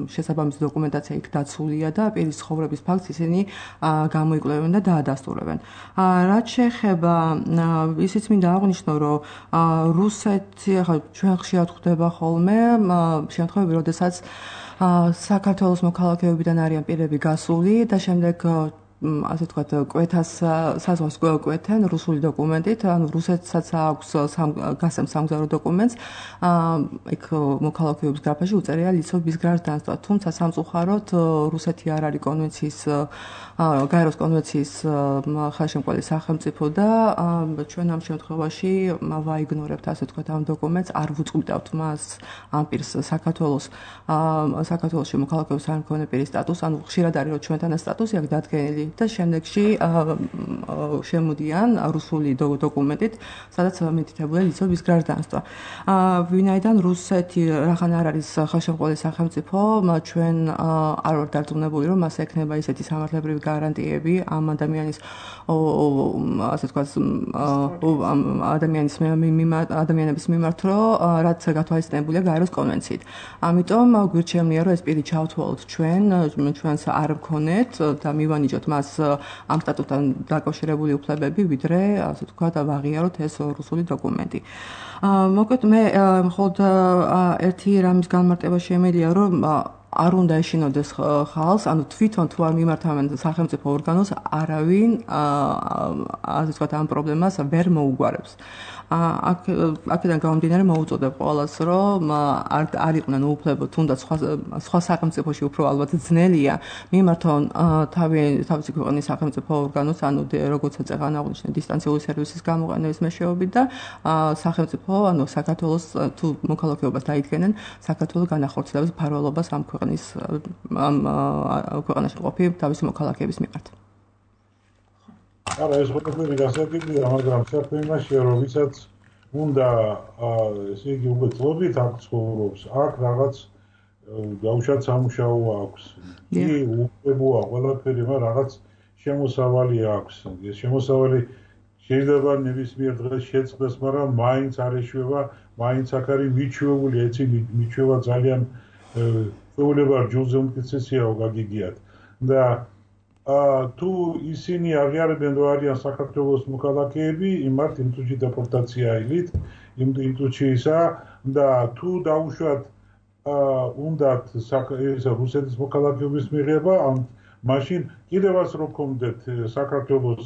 შესაბამისი დოკუმენტაცია იქ დაცულია და პირის ცხოვრების ფაქტს ისინი გამოიკვლევენ და დაადასტურებენ. რაც შეეხება ისიც მინდა აღვნიშნო, რომ რუსეთი ახლა ჩვენ ხშირად ხვდება ხოლმე შემთხვევები, როდესაც საქართველოს მოქალაქეობიდან არიან პირები გასული და შემდეგ ასე ვთქვათ, საზღვარს კვეთენ რუსული დოკუმენტით, ანუ რუსეთსაც აქვს გასცემს სამგზავრო დოკუმენტს, იქ მოქალაქეობის გრაფაში უწერია ლიცობის გражданства, თუმცა სამწუხაროდ რუსეთი არ არის გაეროს კონვენციის ხელშემწყობელი სახელმწიფო და ჩვენ ამ შემთხვევაში ვაიგნორებთ, ასე ვთქვათ, ამ დოკუმენტს, არ ვუწყვიტავთ მას ამ პირს საქართველოში მოქალაქეობის არ მქონე პირის სტატუსს, ანუ ხშირად არის რომ ჩვენთან ეს სტატუსი აქვს დადგენილი და შემდეგში შემოდიან რუსული დოკუმენტით, სადაც მითითებულია იცოდის გражданство. ვინაიდან რუსეთი რახან არ არის ხელშემწყობილი სახელმწიფო, ჩვენ არ ვართ დარწმუნებული, რომ მას ექნება ისეთი სამართლებრივი გარანტიები ამ ადამიანის ასე ვთქვათ ადამიანების მიმართ, რაც გათვალისწინებულია გაეროს კონვენციით. ამიტომ გვირჩევნია, რომ ეს პირი ჩავთვალოთ ჩვენს არ ვქონეთ და მივანიჭოთ მას ამ სტატუტთან დაკავშირებული უფლებები, ვიდრე ასე ვთქვათ ვაღიაროთ ეს რუსული დოკუმენტი. მოკლედ მე მხოლოდ ერთი რამის განმარტება შემიძლია, რომ არ უნდა ეშინოდეს ხალხს, ანუ თვითონ თუ არ მიმართავენ სახელმწიფო ორგანოს, არავინ ასე ვთქვათ ამ პრობლემას ვერ მოუგვარებს. აქედან გამომდინარე მოუწოდებ ყველას, რომ არ იყვნენ უუფლებო, თუნდაც სხვა სახელმწიფოში უფრო ალბათ ძნელია მიმართონ თავისი ქვეყნის სახელმწიფო ორგანოს, ანუ როგორც წეგან აღნიშნე დისტანციური სერვისის გამოყენების მეშვეობით და სახელმწიფო, ანუ საქართველოს თუ მოქალაქეობას დაიდგენენ, საქართველოს განახორციელებს მფარველობას ამ ქვეყანაში ყოფი თავისი მოქალაქეების მიმართ. არა, ეს ყველაფერი გასაგებია, მაგრამ საქმე იმაშია, რომ ვისაც უნდა ესე იგი უბრალოდ აქ ცხოვრობს, აქ რაღაც დაუშვათ სამუშაო აქვს. კი, უყებოა ყველაფერი, მაგრამ რაღაც შემოსავალი აქვს. ეს შემოსავალი შეიძლება ნებისმიერ დღეს შეწყდეს, მაგრამ მაინც არ ეშვება, მაინც აქ არის მიჩვეული, ეცი მიჩვევა ძალიან ეულება ჯულზე უმტკიცესიაო გაგიგიათ. და თუ ისინი აღიარებენ, რომ არიან საქართველოს მოქალაქეები, იმათ იმ წუთში დეპორტაცია აილით, იმ წუთში ისა და თუ დაუშვათ უნდათ რუსეთის მოქალაქეობის მიღება, მაშინ კიდევაც რო გქონდეთ საქართველოს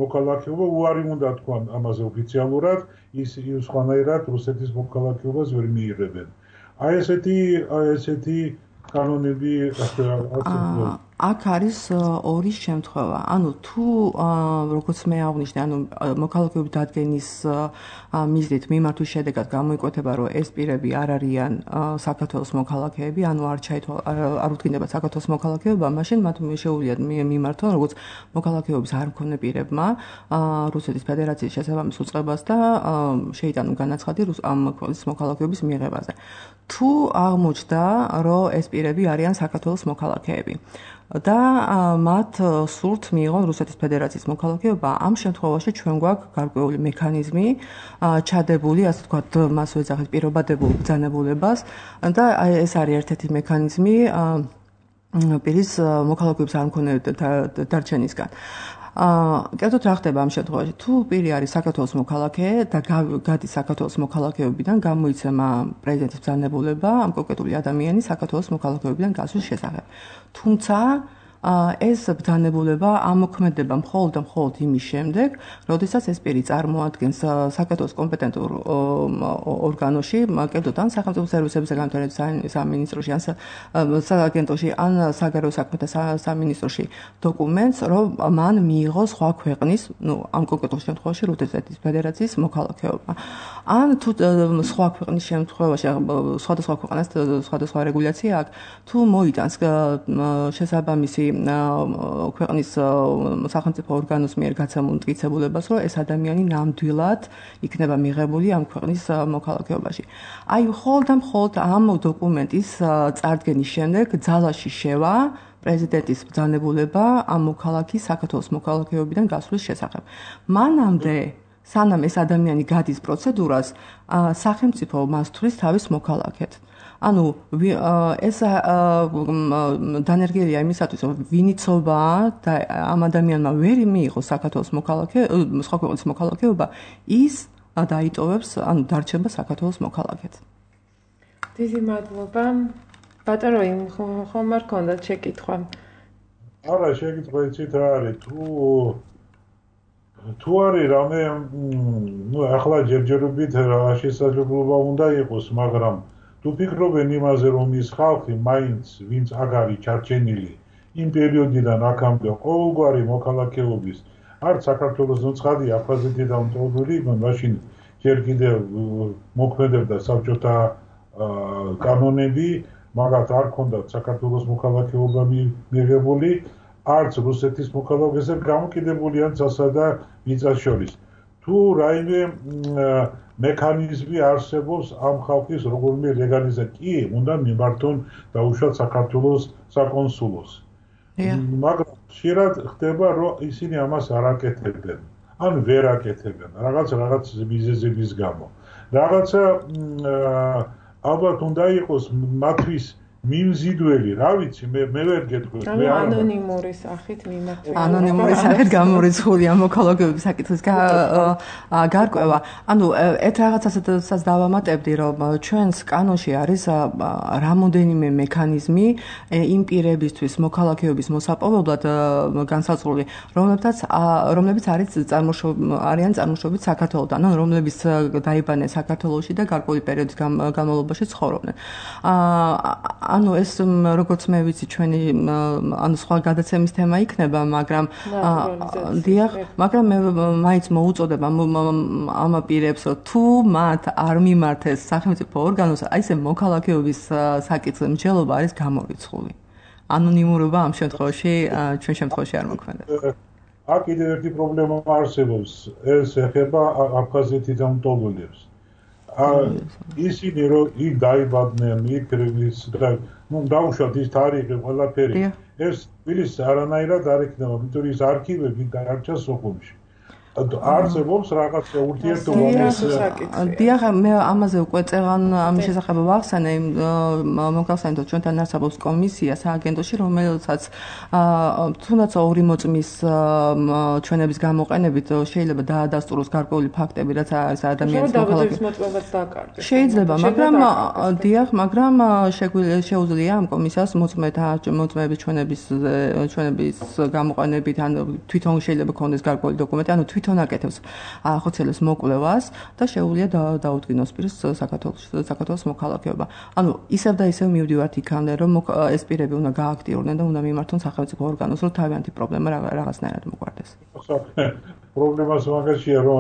მოქალაქეობა, უარი უნდა თქვან ამაზე ოფიციალურად, ის სხვანაირად რუსეთის მოქალაქეობას ვერ მიიღებენ. აი ესეთი კანონები აქ არის ორი შემთხვევა. ანუ თუ როგორც მე აღნიშნე, ანუ მოქალაქეობის დადგენის მიზნით მიმართვის შედეგად გამოიკვეთება, რომ ეს პირები არ არიან საქართველოს მოქალაქეები, ანუ არ უთქინდება საქართველოს მოქალაქეობა, მაშინ მათ შეუძლიათ მიმართონ როგორც მოქალაქეობის არ მქონე პირებმა რუსეთის ფედერაციის შესაბამის უწყებას და შეიტანონ განაცხადი ამ ქვეყნის მოქალაქეობის მიღებაზე. თუ აღმოჩნდა, რომ ეს პირები არიან საქართველოს მოქალაქეები და მათ სურთ მიიღონ რუსეთის ფედერაციის მოქალაქეობა, ამ შემთხვევაში ჩვენ გვაქვს გარკვეული მექანიზმი ჩადებული, ასე ვთქვათ, მას ვეძახით პირობადებულ ბრძანებულებას და ეს არის ერთ-ერთი მექანიზმი პირის მოქალაქეობის არ მქონე დარჩენისგან. კერძოდ რა ხდება ამ შემთხვევაში? თუ პირი არის საქართველოს მოქალაქე და გადის საქართველოს მოქალაქეობიდან, გამოიცემა პრეზიდენტის ბრძანებულება ამ კონკრეტული ადამიანის საქართველოს მოქალაქეობიდან გასვლის შესახებ. თუმცა ეს ბრძანებულება ამოქმედება მხოლოდ იმის შემდეგ, როდესაც ეს პირი წარმოადგენს საქართველოს კომპეტენტურ ორგანოში, კერძოდ ან სახელმწიფო სერვისების განვითარების სამინისტროში, ან სააგენტოში, ან საგარეო საქმეთა სამინისტროში დოკუმენტს, რომ მან მიიღო სხვა ქვეყნის, ამ კონკრეტულ შემთხვევაში რუსეთის ფედერაციის მოქალაქეობა. ან თუ სხვა ქვეყნის შემთხვევაში, სხვადასხვა ქვეყანას სხვადასხვა რეგულაცია აქვს, თუ მოიტანს შესაბამისი ქვეყნის სახელმწიფო ორგანოს მიერ გაცემულ მტკიცებულებას, რომ ეს ადამიანი ნამდვილად იქნება მიღებული ამ ქვეყნის მოქალაქეობაში. აი, მხოლოდ ამ დოკუმენტის წარდგენის შემდეგ ძალაში შევა პრეზიდენტის ბრძანებულება ამ მოქალაქის საქართველოს მოქალაქეობიდან გასვლის შესახებ. მანამდე სანამ ეს ადამიანი გადის პროცედურას, სახელმწიფო მას თვლის თავის მოქალაქედ. ანუ ეს დანერგილია იმისათვის, რომ ვინიცობა და ამ ადამიანმა ვერ მიიღოს საქართველოს სხვა ქვეყნის მოქალაქეობა, ის დაიტოვებს, ანუ დარჩება საქართველოს მოქალაქედ. დიდი მადლობა. ბატონო, ხომ არ გქონდათ შეკითხვა? არა, შეკითხვა იცით რა არის, თუ არის რამე, ახლა ჯერჯერობით რა შესაძლებლობა უნდა იყოს, მაგრამ თუ ფიქრობენ იმაზე, რომ ის ხალხი მაინც ვინც აქ არის ჩარჩენილი იმ პერიოდიდან აქამდე ყოველგვარი მოქალაქეობის არც საქართველოს ნუცხადი აფხაზეთიდან მწოდული, მაშინ ჯერ კიდევ მოქმედებდა საბჭოთა კანონები, მაგათ არ ქონდათ საქართველოს მოქალაქეობა მიღებული, არც რუსეთის მოქალაქეზე გამოკიდებული ან წასა და მიწას შორის. თუ რაიმე მექანიზმი არსებობს ამ ხალხის როგორმე ლეგალიზაცია, კი, უნდა მიმართონ დაუშვათ საქართველოს საკონსულოს. მაგრამ ხშირად ხდება, რომ ისინი ამას არ აკეთებენ. ან ვერ აკეთებენ რაღაც მიზეზების გამო. რაღაცა ალბათ უნდა იყოს მათთვის მიმზიდველი, რა ვიცი, მე ვერ გეტყვი. ანონიმური სახით მიმართველი. ანონიმური სახით გამორიცხულია მოქალაქეობის საკითხის გარკვევა. ანუ ერთ რაღაცასაც დავამატებდი, რომ ჩვენს კანონში არის რამოდენიმე მექანიზმი იმ პირებისთვის მოქალაქეობის მოსაპოვებლად განსაზღვრული, რომლებიც არიან წარმოშობით საქართველოდან, ან რომლებიც დაიბანეს საქართველოში და გარკვეული პერიოდის განმავლობაში ცხოვრობდნენ. ანუ ეს როგორც მე ვიცი ჩვენი ანუ სხვა გადაცემის თემა იქნება, მაგრამ მაგრამ მე მაინც მოუწოდებ ამ პირებს, რომ თუ მათ არ მიმართეს სახელმწიფო ორგანოს, აი ეს მოქალაქეობის საკითხზე მსჯელობა არის გამორიცხული. ანონიმურობა ამ შემთხვევაში ჩვენ შემთხვევაში არ მოქმედებს. აქ კიდევ ერთი პრობლემა არსებობს, ეს ეხება აფხაზეთიდან მტოლულებს. ისინი რომ იქ დაიბადნენ, იქ დაუშვათ ის თარიღი ყველაფერი. ეს თბილისს არანაირად არ იქნება, იმიტომ ის არქივები დარჩა სოხუმში. არსებობს რაღაცა ურთიერთობა. დიახ, მე ამაზე უკვე წეღან ამის შესახებ ვახსენე, მოგახსენეთ, ჩვენთან არსებობს კომისია სააგენტოში, რომელსაც თუნდაც ორი მოწმის ჩვენების გამოყენებით შეიძლება დაადასტუროს გარკვეული ფაქტები, რაც არის ადამიანის მოქალაქეობის მოწმობაც დააკარგეს. შეიძლება, მაგრამ დიახ, მაგრამ შეუძლია ამ კომისიას მოწმეების ჩვენების გამოყენებით, ან თვითონ შეიძლება ქონდეს გარკვეული დოკუმენტი, ანუ თვითონ აკეთებს ახორციელებს მოკვლევას და შეუძლია დაუდგინოს პირს საქართველოს მოქალაქეობა. ანუ ისევ და ისევ მივდივართ იქამდე, რომ ეს პირები უნდა გააქტიურდნენ და უნდა მიმართონ სახელმწიფო ორგანოს, რომ თავიანთი პრობლემა რაღაცნაირად მოგვარდეს. პრობლემას მაგაშია, რომ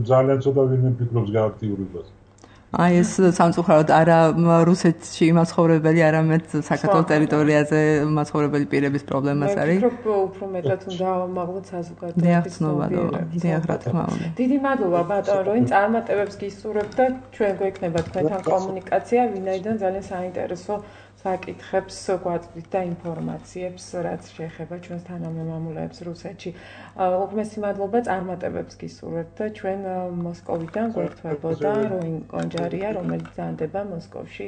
ძალიან ცოტა ვინმე ფიქრობს გააქტიურებას. აი ეს სამწუხაროდ არა რუსეთში მაცხოვრებელი, არამედ საქართველოს ტერიტორიაზე მაცხოვრებელი პირების პრობლემას არის. მე ვფიქრობ, უფრო მეტად უნდა ავამაღლოთ საზოგადოების ცნობიერება. დიახ, რა თქმა უნდა. დიდი მადლობა ბატონო, რომ წარმატებებს გისურვებთ და ჩვენ გვექნება თქვენთან კომუნიკაცია, ვინაიდან ძალიან საინტერესო საკითხებს გვაწვდით და ინფორმაციებს, რაც შეეხება ჩვენს თანამემამულეებს რუსეთში. უღმესი მადლობა, წარმატებებს გისურვებთ და ჩვენ მოსკოვიდან გვერდთვებოდა როინ კონჯარია, რომელიც ზანდება მოსკოვში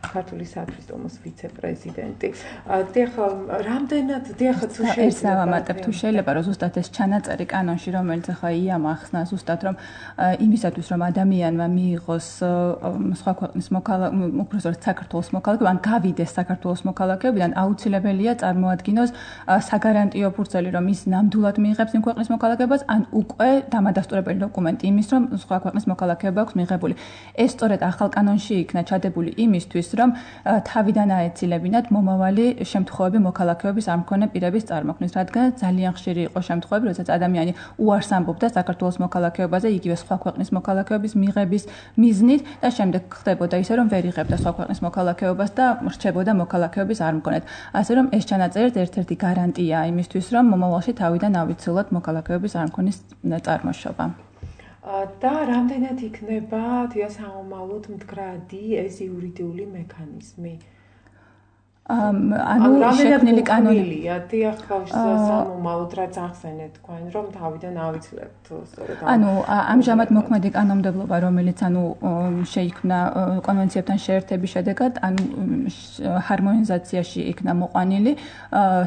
ქართული სათვისტომოს ვიცე-პრეზიდენტი. დიახ, რამდენად თუ შევამატებ, თუ შეიძლება რომ ზუსტად ეს ჩანაწერი კანონში, რომელიც ახლა იამახსნა ზუსტად რომ იმისათვის რომ ადამიანმა მიიღოს სხვა ქვეყნის უпростоრად საქართველოს მოქალაქეობა, ან გავიდეს საქართველოს მოქალაქეობიდან, აუცილებელია წარმოადგინოს საგარანტიო ფურცელი, რომ ის ნამდვილად მიიღებს იმ ქვეყნის მოქალაქეობას, ან უკვე დამადასტურებელი დოკუმენტი იმის, რომ სხვა ქვეყნის მოქალაქეობა აქვს მიღებული. ეს სწორედ ახალ კანონში იქნა ჩადებული იმისთვის, რომ თავიდან აეცილებინათ მომავალი შემთხვევები მოქალაქეობის არ მქონე პირების წარმოქმნის, რადგან ძალიან ხშირი იყო შემთხვევები, როდესაც ადამიანი უარს ამბობდა საქართველოს მოქალაქეობაზე, იგივე სხვა ქვეყნის მოქალაქეობის მიღების მიზნით და შემდეგ ხდებოდა ისე, რომ ვერ იღებდა სხვა ქვეყნის მოქალაქეობას და რჩებოდა მოქალაქეობის არ მქონედ. ასე რომ ეს ჩანაწერი ერთ-ერთი გარანტია იმისთვის, რომ მომავალში თავიდან ავიცილოთ მოქალაქეობის არ მქონის წარმოშობა. და რამდენად იქნება თეასაომალოდ მდგრადი ეს იურიდიული მექანიზმი? ანუ შექმნილი კანონია დიახ სამომავლოდ რაც ახსენეთ თქვენ რომ თავიდან ავიცლებთ სწორედ ანუ ამჟამად მოქმედი კანონმდებლობა რომელიც ანუ შეიქმნა კონვენციებთან შეერთების შედეგად ანუ ჰარმონიზაციაში იქნა მოყვანილი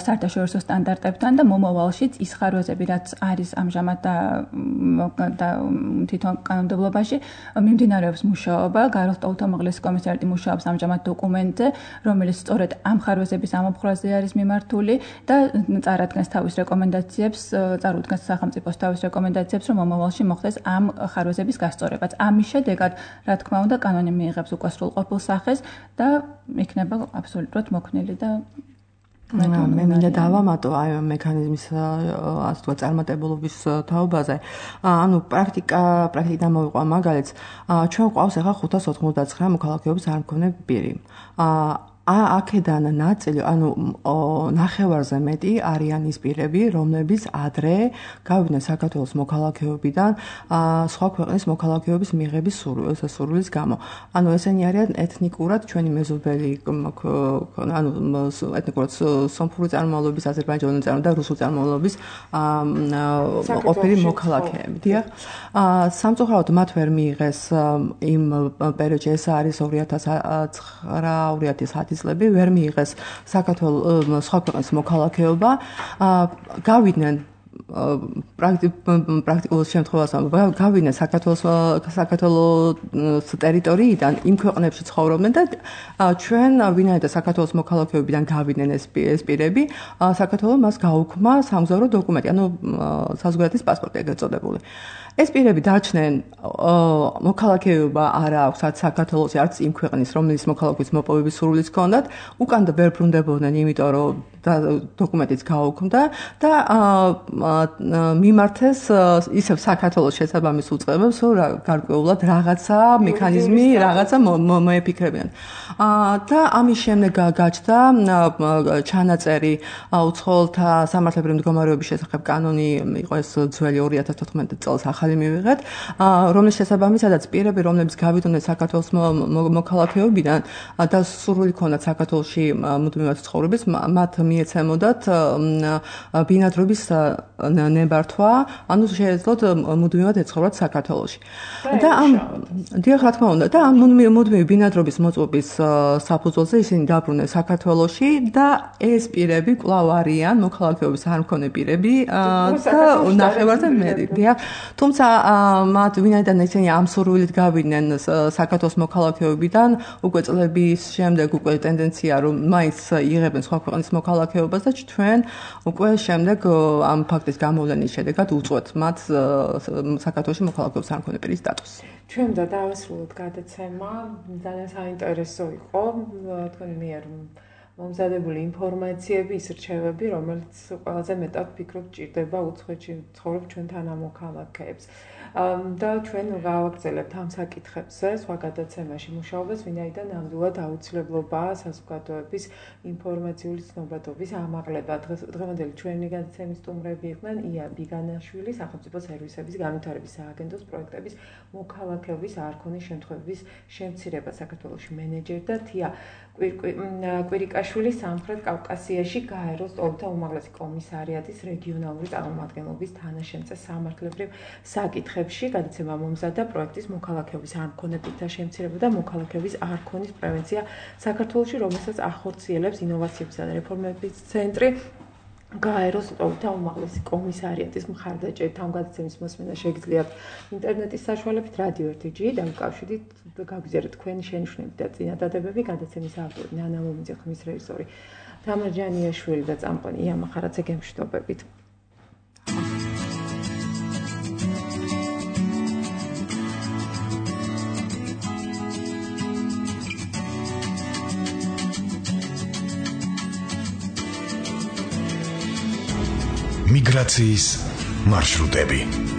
საერთაშორისო სტანდარტებთან და მომავალშიც ის ხარვეზები რაც არის ამჟამად და თვითონ კანონმდებლობაში მიმდინარეობს მუშაობა გაროხტაულთა უმაღლესი კომისარიატი მუშაობს ამჟამად დოკუმენტზე რომელიც სწორედ ამ ხარვეზების ამოფხვრაზე არის მიმართული და წარადგენს თავის რეკომენდაციებს, წარუდგენს სახელმწიფოს თავის რეკომენდაციებს, რომ მომავალში მოხდეს ამ ხარვეზების გასწორებაც. ამის შედეგად, რა თქმა უნდა, კანონი მიიღებს უკვე სრულყოფილ სახეს და იქნება აბსოლუტურად მოქნილი და მე მინდა დავამატო აი მექანიზმის ასე თქვა წარმატებულობის თაობაზე. ანუ პრაქტიკიდან მოვიყვა მაგალითს. ჩვენ ყავს ახლა 599 მოქალაქეობის არ მქონე პირი. აქედან ნაწილი, ნახევარზე მეტი არიან ის პირები, რომლებიც ადრე გავიდნენ საქართველოს მოქალაქეობიდან სხვა ქვეყნის მოქალაქეობის მიღების სურვილის გამო. ესენი არიან ეთნიკურად ჩვენი მეზობელი, ეთნიკურად სომხური წარმომავლობის, აზერბაიჯანული წარმომავლობის და რუსული წარმომავლობის ყოფილი მოქალაქეები. დიახ. სამწუხაროდ მათ ვერ მიიღეს იმ პერიოდში, ეს არის 2009-2010 წლები, ვერ მიიღეს საქართველოს სხვა ქვეყნის მოქალაქეობა. გავიდნენ პრაქტიკულ შემთხვევაში გავიდნენ საქართველოს ტერიტორიიდან იმ ქვეყნებში ცხოვრობდნენ და ჩვენ ვინაიდან საქართველოს მოქალაქეობიდან გავიდნენ ეს პირები, საქართველოს მას გაუქმა სამგზავრო დოკუმენტი, საზღვარგარეთის პასპორტი ეგრეთ წოდებული. ეს პირები დაჩნენ მოქალაქეობა არ აქვს არც საქართველოს, არც იმ ქვეყნის, რომლის მოქალაქეობის მოპოვების სურვილიც ჰქონდათ, უკან და ვერ ბრუნდებოდნენ, იმიტომ რომ დოკუმენტიც გაუქმდა და მიმართეს ისევ საქართველოს შესაბამის უწყებებს, რომ გარკვეულად რაღაცა მექანიზმი, რაღაცა მოეფიქრებიან. და ამის შემდეგ გაჩნდა ჩანაწერი უცხოელთა სამართლებრივი მდგომარეობის შესახებ კანონი, იყო ეს ძველი 2014 წელს ახალი მივიღეთ, რომლის შესაბამისადაც პირები, რომლებიც გავიდნენ საქართველოს მოქალაქეობიდან და სურვილი ჰქონდათ საქართველოში მუდმივად ცხოვრების, მათ მიეცემოდათ ბინადრობის ნებართვა, შეეძლოთ მუდმივად ეცხოვრათ საქართველოში. და დიახ, რა თქმა უნდა, და ამ მუდმივი ბინადრობის მოწყობის საფუძველზე ისინი დაბრუნდნენ საქართველოში და ეს პირები კვლავ არიან მოქალაქეობის არ მქონე პირები და ნახევარზე მეტი. დიახ, თუმცა მათ ვინაიდან ისინი ამ სურვილით გავიდნენ საქართველოს მოქალაქეობიდან, უკვე წლების შემდეგ უკვე ტენდენცია რომ მაინც იღებენ სხვა ქვეყნის მოქალაქეობას და ჩვენ უკვე შემდეგ ამ ფაქტის გამოვლენის შედეგად უწყვეთ მათ საქართველოში მოქალაქეობის არ მქონე პირის სტატუსი. ჩვენ და დავასრულოთ გადაცემა, ძალიან საინტერესო იყო, თქვენი მიერ მომზადებული ინფორმაციები, ის რჩევები, რომელიც ყველაზე მეტად ფიქრობ ჭირდება უცხოეთში ცხოვრობ ჩვენ თანამოქალაქეებს. და ჩვენ გავაგრძელებთ ამ საკითხებზე სხვა გადაცემაში მუშაობას, ვინაიდან ნამდვილად აუცილებლობაა საზოგადოების ინფორმაციული ცნობადობის ამაღლება. დღევანდელი ჩვენი გადაცემის სტუმრები იყვნენ ია ბიგანაშვილი, სახელმწიფო სერვისების განვითარების სააგენტოს პროექტების მოქალაქეობის არქონის შემთხვევების შემცირება საქართველოში მენეჯერი და თია კვირიკაშვილი სამხრეთ კავკასიაში გაეროს ტოლთა უმაღლესი კომისარიატის რეგიონალური წარმომადგენლობის თანაშემწე სამართლებრივ საკითხებში. გადაცემა მომზადდა პროექტის მოქალაქეობის არ მქონე პირთა შემცირება და მოქალაქეობის არქონის პრევენცია საქართველოში, რომელსაც ახორციელებს ინოვაციებისა და რეფორმების ცენტრი. გაეროს ტოლთა უმაღლესი კომისარიატის მხარდაჭერით ამ გადაცემის მოსმენა შეგიძლიათ ინტერნეტის საშუალებით რადიო 1G დამკავშირით გაგვიზიარეთ თქვენი შენიშვნები და წინადადებები. გადაცემის ავტორი ნანა ლომიძე, ხმის რეჟისორი თამარ ჯანიაშვილი და წამყვანი ია მახარაძე გემშვიდობებით. მიგრაციის მარშრუტები